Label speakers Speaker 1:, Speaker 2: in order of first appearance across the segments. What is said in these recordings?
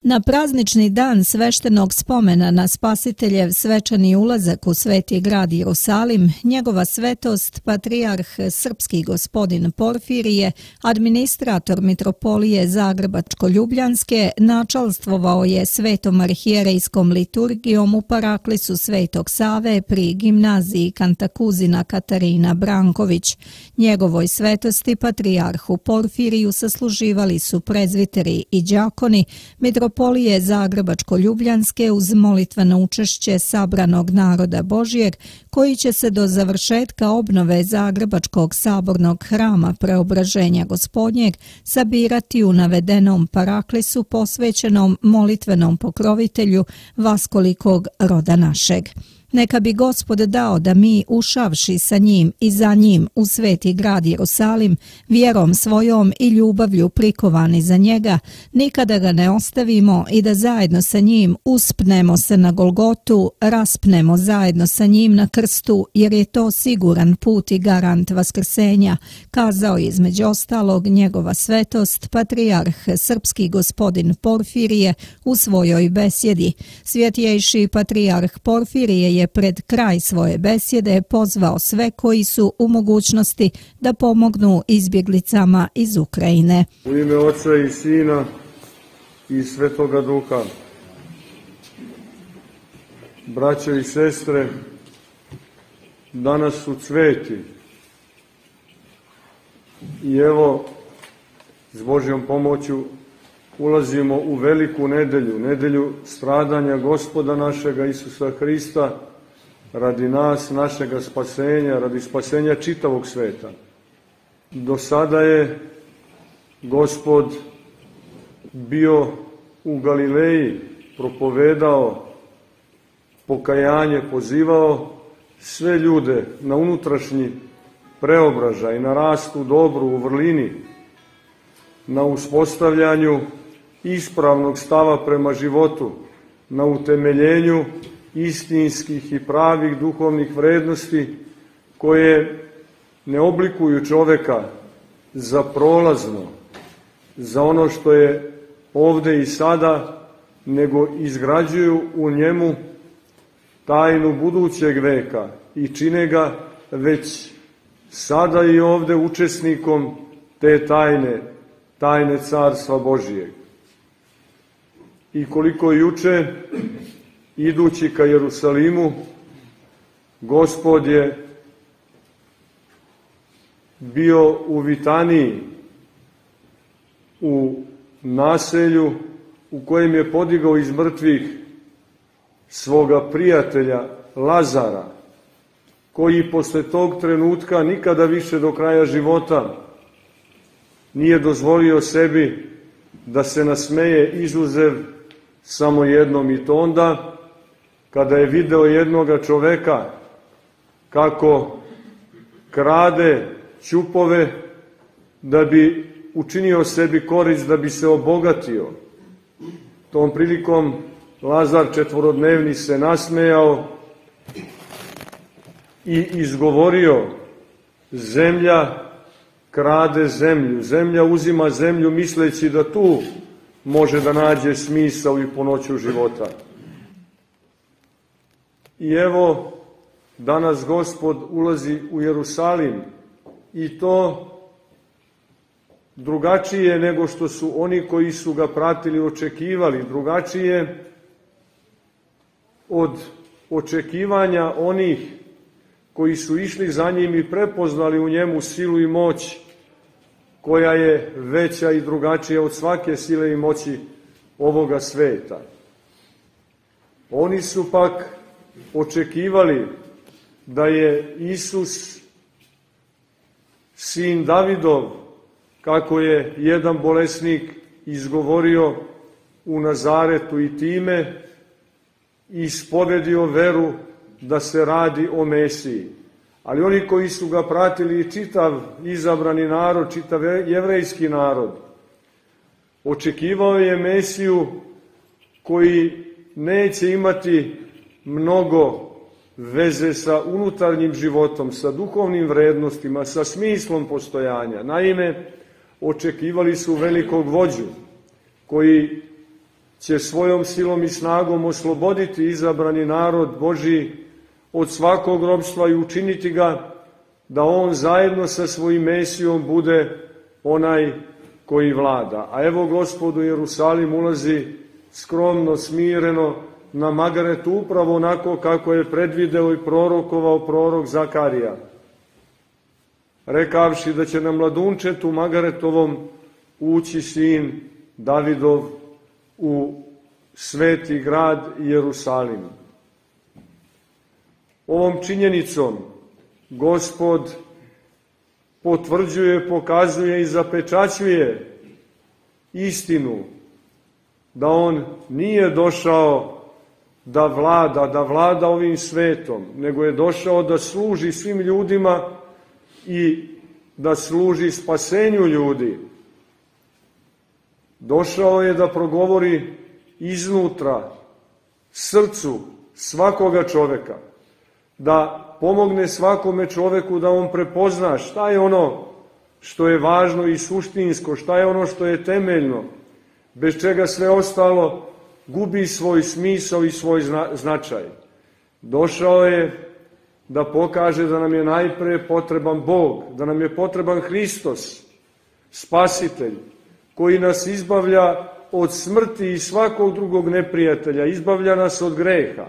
Speaker 1: Na praznični dan sveštenog spomena na Spasiteljev svečani ulazak u sveti grad Jerusalim, njegova svetost, patrijarh srpski gospodin Porfirije, administrator mitropolije Zagrebačko-Ljubljanske, načalstvovao je svetom arhijerejskom liturgijom u paraklisu Svetog Save pri gimnaziji Kantakuzina Katarina Branković. Njegovoj svetosti, patrijarhu Porfiriju, sasluživali su prezviteri i đakoni mitropolije Zagrebačko-Ljubljanske uz molitveno učešće sabranog naroda Božjeg, koji će se do završetka obnove Zagrebačkog sabornog hrama Preobraženja Gospodnjeg sabirati u navedenom paraklisu posvećenom molitvenom pokrovitelju vaskolikog roda našeg. Neka bi Gospod dao da mi, ušavši sa njim i za njim u sveti grad Jerusalim, vjerom svojom i ljubavlju prikovani za njega, nikada ga ne ostavimo i da zajedno sa njim uspnemo se na Golgotu, raspnemo zajedno sa njim na krstu, jer je to siguran put i garant vaskrsenja, kazao je između ostalog njegova svetost, patrijarh srpski gospodin Porfirije u svojoj besjedi. Svjetjejši patrijarh Porfirije je pred kraj svoje besjede pozvao sve koji su u mogućnosti da pomognu izbjeglicama iz Ukrajine.
Speaker 2: U ime Oca i Sina i Svetoga Duha, braćo i sestre, danas su cveti i evo s Božjom pomoću ulazimo u veliku nedelju, nedelju stradanja Gospoda našega Isusa Hrista, radi nas, našega spasenja, radi spasenja čitavog sveta. Do sada je Gospod bio u Galileji, propovedao pokajanje, pozivao sve ljude na unutrašnji preobražaj, na rast u dobru, u vrlini, na uspostavljanju ispravnog stava prema životu, na utemeljenju istinskih i pravih duhovnih vrednosti koje ne oblikuju čoveka za prolazno, za ono što je ovde i sada, nego izgrađuju u njemu tajnu budućeg veka i čine ga već sada i ovde učesnikom te tajne Carstva Božijeg. I koliko juče, idući ka Jerusalimu, Gospod je bio u Vitaniji, u naselju u kojem je podigao iz mrtvih svoga prijatelja Lazara, koji posle tog trenutka nikada više do kraja života nije dozvolio sebi da se nasmeje izuzev samo jednom, i to onda kada je video jednoga čoveka kako krade ćupove da bi učinio sebi korist, da bi se obogatio. Tom prilikom Lazar četvorodnevni se nasmejao i izgovorio: zemlja krade zemlju, zemlja uzima zemlju, misleći da tu može da nađe smisao i punoću života. I evo, danas Gospod ulazi u Jerusalim, i to drugačije nego što su oni koji su ga pratili očekivali, drugačije od očekivanja onih koji su išli za njim i prepoznali u njemu silu i moć koja je veća i drugačija od svake sile i moći ovoga sveta. Oni su pak očekivali da je Isus sin Davidov, kako je jedan bolesnik izgovorio u Nazaretu, i time ispodedio veru da se radi o Mesiji. Ali oni koji su ga pratili, i čitav izabrani narod, čitav jevrejski narod, očekivao je Mesiju koji neće imati mnogo veze sa unutarnjim životom, sa duhovnim vrednostima, sa smislom postojanja. Naime, očekivali su velikog vođu koji će svojom silom i snagom osloboditi izabrani narod Božji od svakog ropstva i učiniti ga da on zajedno sa svojim Mesijom bude onaj koji vlada. A evo Gospod u Jerusalim ulazi skromno, smireno na Magaretu, upravo onako kako je predvideo i prorokovao prorok Zakarija, rekavši da će na mladunčetu Magaretovom ući sin Davidov u sveti grad Jerusalim. Ovom činjenicom Gospod potvrđuje, pokazuje i zapečaćuje istinu da on nije došao da vlada ovim svetom, nego je došao da služi svim ljudima i da služi spasenju ljudi. Došao je da progovori iznutra srcu svakoga čoveka, da pomogne svakome čoveku da on prepozna šta je ono što je važno i suštinsko, šta je ono što je temeljno, bez čega sve ostalo gubi svoj smisao i svoj značaj. Došao je da pokaže da nam je najpre potreban Bog, da nam je potreban Hristos, Spasitelj, koji nas izbavlja od smrti i svakog drugog neprijatelja, izbavlja nas od greha.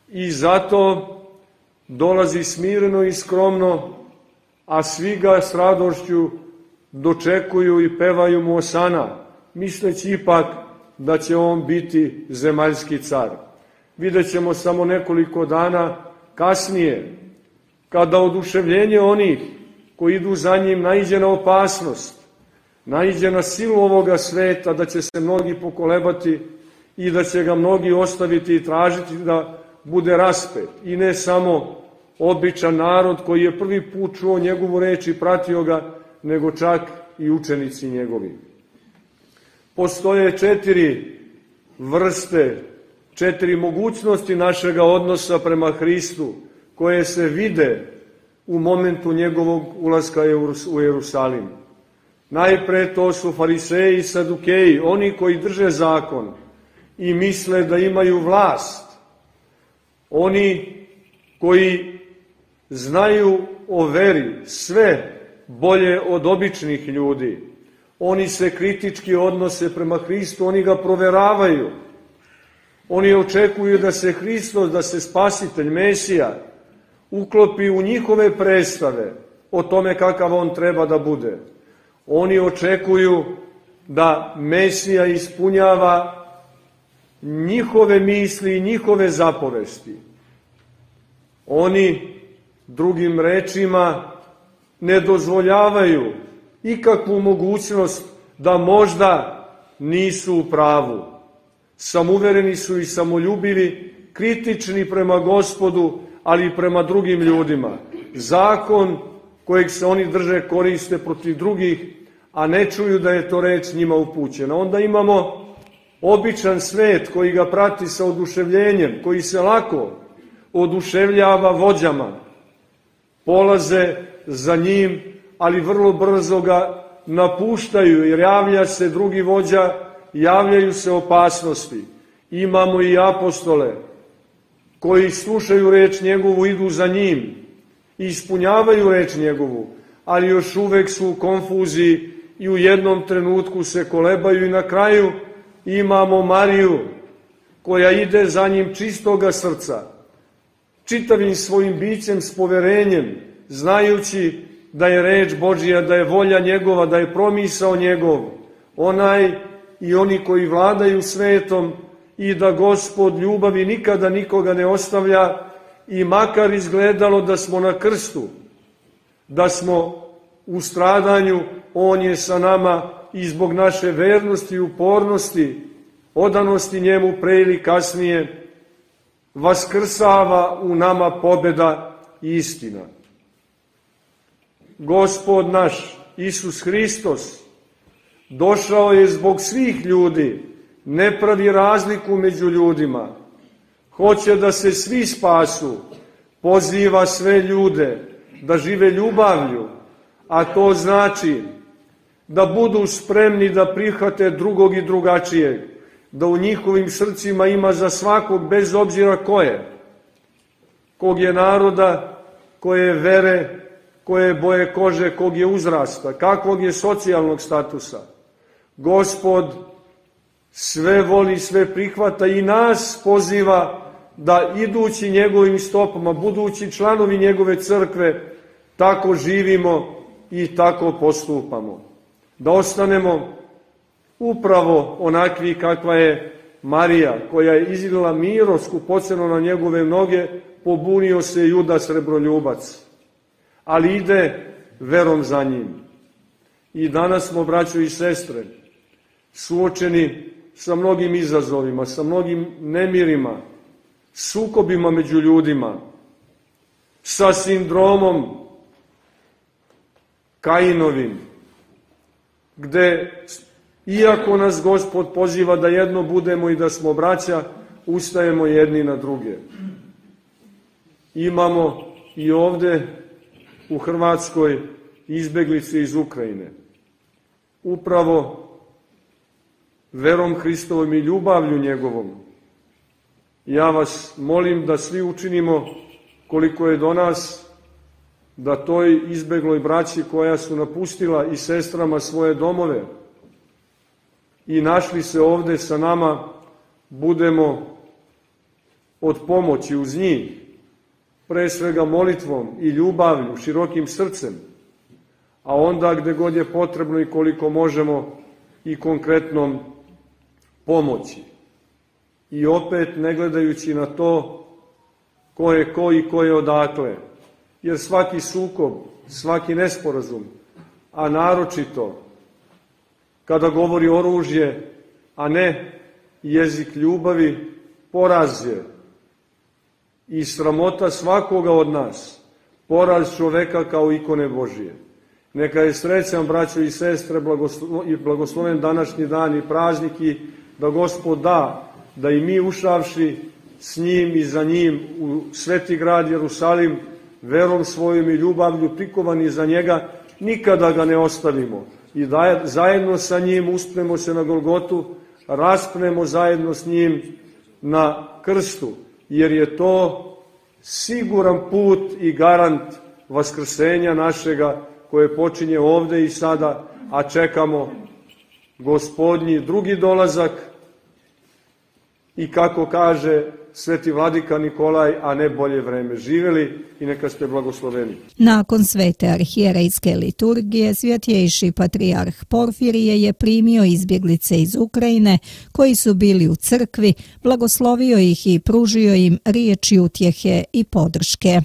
Speaker 2: I zato dolazi smireno i skromno, a svi ga s radošću dočekuju i pevaju mu osana, misleći ipak da će on biti zemaljski car. Vidjet ćemo samo nekoliko dana kasnije, kada oduševljenje onih koji idu za njim naiđe na opasnost, naiđe na silu ovoga sveta, da će se mnogi pokolebati i da će ga mnogi ostaviti i tražiti da bude raspet. I ne samo običan narod koji je prvi put čuo njegovu reč i pratio ga, nego čak i učenici njegovi. Postoje 4 vrste, 4 mogućnosti našega odnosa prema Hristu, koje se vide u momentu njegovog ulaska u Jerusalim. Najpre to su fariseji i sadukeji, oni koji drže zakon i misle da imaju vlast. Oni koji znaju o veri sve bolje od običnih ljudi. Oni se kritički odnose prema Hristu, oni ga proveravaju. Oni očekuju da se Hristos, da se Spasitelj, Mesija, uklopi u njihove predstave o tome kakav on treba da bude. Oni očekuju da Mesija ispunjava njihove misli i njihove zapovesti. Oni, drugim rečima, ne dozvoljavaju ikakvu mogućnost da možda nisu u pravu. Samuvereni su i samoljubivi, kritični prema Gospodu, ali i prema drugim ljudima. Zakon kojeg se oni drže koriste protiv drugih, a ne čuju da je to reč njima upućena. Onda imamo običan svet koji ga prati sa oduševljenjem, koji se lako oduševljava vođama. Polaze za njim, ali vrlo brzo ga napuštaju, jer javlja se drugi vođa, javljaju se opasnosti. Imamo i apostole koji slušaju reč njegovu, idu za njim i ispunjavaju reč njegovu, ali još uvek su u konfuziji i u jednom trenutku se kolebaju i na kraju imamo Mariju koja ide za njim čistoga srca, čitavim svojim bićem s poverenjem, znajući da je reč Božija, da je volja njegova, da je promisao njegov, onaj i oni koji vladaju svetom, i da Gospod ljubavi nikada nikoga ne ostavlja, i makar izgledalo da smo na krstu, da smo u stradanju, on je sa nama i zbog naše vernosti i upornosti, odanosti njemu pre ili kasnije, vaskrsava u nama pobeda i istina. Gospod naš, Isus Hristos, došao je zbog svih ljudi, ne pravi razliku među ljudima, hoće da se svi spasu, poziva sve ljude da žive ljubavlju, a to znači da budu spremni da prihvate drugog i drugačijeg, da u njihovim srcima ima za svakog, bez obzira ko je, kog je naroda, koje je vere, koje je boje kože, kog je uzrasta, kakvog je socijalnog statusa. Gospod sve voli, sve prihvata i nas poziva da idući njegovim stopama, budući članovi njegove crkve, tako živimo i tako postupamo. Da ostanemo upravo onakvi kakva je Marija, koja je izlila miro skupoceno na njegove noge, pobunio se Juda srebroljubac, ali ide verom za njim. I danas smo, braćo i sestre, suočeni sa mnogim izazovima, sa mnogim nemirima, sukobima među ljudima, sa sindromom Kainovim, gde, iako nas Gospod poziva da jedno budemo i da smo braća, ustajemo jedni na druge. Imamo i ovde u Hrvatskoj izbeglice iz Ukrajine. Upravo verom Hristovom i ljubavlju njegovom, ja vas molim da svi učinimo koliko je do nas, da toj izbegloj braći koja su napustila i sestrama svoje domove i našli se ovde sa nama, budemo od pomoći uz njih, pre svega molitvom i ljubavlju, širokim srcem, a onda gde god je potrebno i koliko možemo i konkretnom pomoći. I opet ne gledajući na to ko je ko i ko je odakle, jer svaki sukob, svaki nesporazum, a naročito kada govori oružje, a ne jezik ljubavi, poraz je i sramota svakoga od nas, poraz čoveka kao ikone Božije. Neka je srećan, braćo i sestre, i blagosloven današnji dan i praznik i da Gospod da i mi ušavši s njim i za njim u sveti grad Jerusalim, verom svojom i ljubavlju prikovani za njega, nikada ga ne ostavimo i da zajedno sa njim uspnemo se na Golgotu, raspnemo zajedno s njim na krstu, jer je to siguran put i garant vaskrsenja našega koje počinje ovde i sada, a čekamo Gospodnji drugi dolazak i kako kaže sveti vladika Nikolaj, a ne bolje vreme. Živeli i neka ste blagosloveni.
Speaker 1: Nakon svete arhijerejske liturgije, svjetjejši patrijarh Porfirije je primio izbjeglice iz Ukrajine koji su bili u crkvi, blagoslovio ih i pružio im riječi utjehe i podrške.